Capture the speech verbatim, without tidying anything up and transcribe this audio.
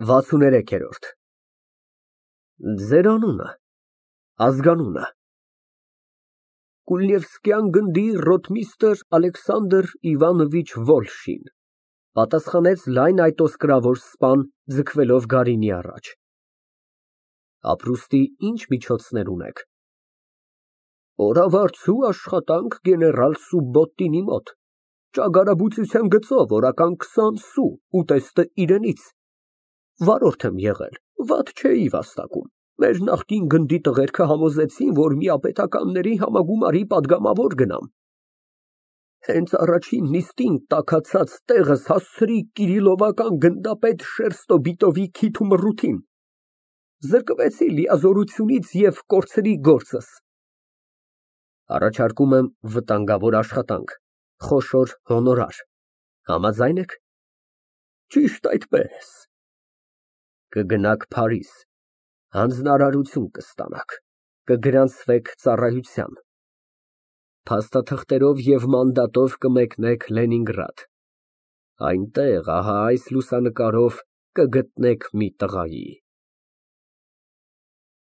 վաթսուներեքերորդ Ձեր անունը, ազգանունը։ Կուլնևսկյան գնդի ռոթմիստր Ալեքսանդր Իվանովիչ Վոլշին, պատասխանեց լայն այտոսկրավոր սպան, ձգվելով Գարինի առաջ։ Ապրուստի ինչ միջոցներ ունեք։ Օրավարձու աշխատանք գեներալ Սուբբոտինի մոտ, ճագարաբուծության գծով օրական քսան սու, ուտեստը իրենից, վարորդ եմ եղել, վատ չէի վաստակում, մեր նախկին գնդի տղերքը համոզեցին, որ միապետականների համագումարի պատգամավոր գնամ, հենց առաջին նիստին տաքացած տեղս հասցրի Կիրիլովական գնդապետ Շերստոբիտովի քիթ ու մռութին, զրկվեցի լիազորությունից և կորցրի գործս։ Առաջարկում եմ վտանգավոր աշխատանք, խոշոր հոնորար, համաձա՞յն եք։ Ճիշտ այդպես։ Կգնաք Փարիզ, հանձնարարություն կստանաք, կգրանցվեք ծառայության, փաստաթղթերով և մանդատով կմեկնեք Լենինգրադ, այնտեղ, ահա այս լուսանկարով, կգտնեք մի տղայի։